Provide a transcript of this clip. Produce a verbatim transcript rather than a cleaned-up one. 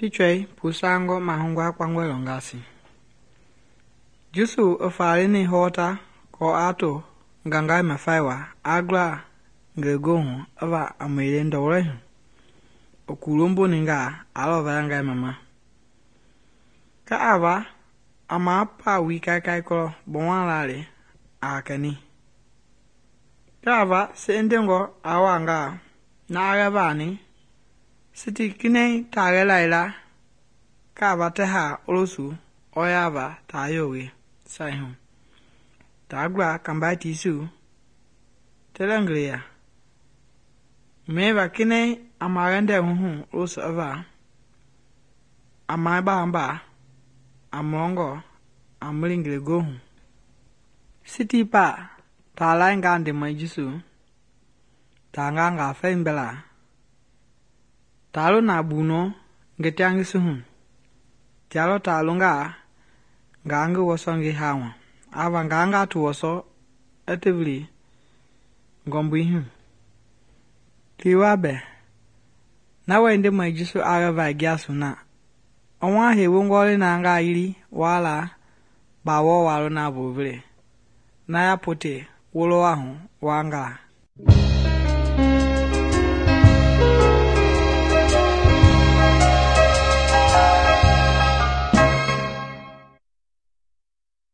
Pichwei pusangɔ mahungwa kpangɔe lɔngasi. Jusu i faalini hɔɔta kɔɔ aa to ngangai mafaiwa aa gla ngelegoohu i va a mɛile ndɔlɔi hu. I kuulomboningaa aa lɔ valangai mama. Kɛ a va a maa paawii kaikai kɔlɔ gbɔwala le aa kɛni. Kɛ a va se'endengɔ aa wangaa na aa yɛ vaani, siti kinɛiŋ taa yɛ laila kɛ a va tɛhaa olosu ɔɔ yaava taa yɔɔwe sai hu. Taa gla kambai tiisiu tɛlɛ ngeleya. Mɛiva kinɛiŋ a maayɛndɛ huhu olosu i va, a maabamba, a mɔlɔngɔ, a meli ngelegoohu. Sitii pa taa laingaa ndemɔi Jusu, taa ngaa ngaa fɛi gbɛla. Taa lo na bunɔ ngetiangisi hu. Tia lɔ taa longaa ngaa ngi wɔsɔ ngi haama. Ava ngaa ngaa ti wɔsɔ i ti vili ngɔmbui hu. Kiiwa bɛ, na wɛi ndemɔi Jusu aa yɛ vai giasu na. I wa hei wongɔ le na ngaa yili wala ba wɔɔ waa lo na voo vele. Na ya pote wolowa hu waa ngaa.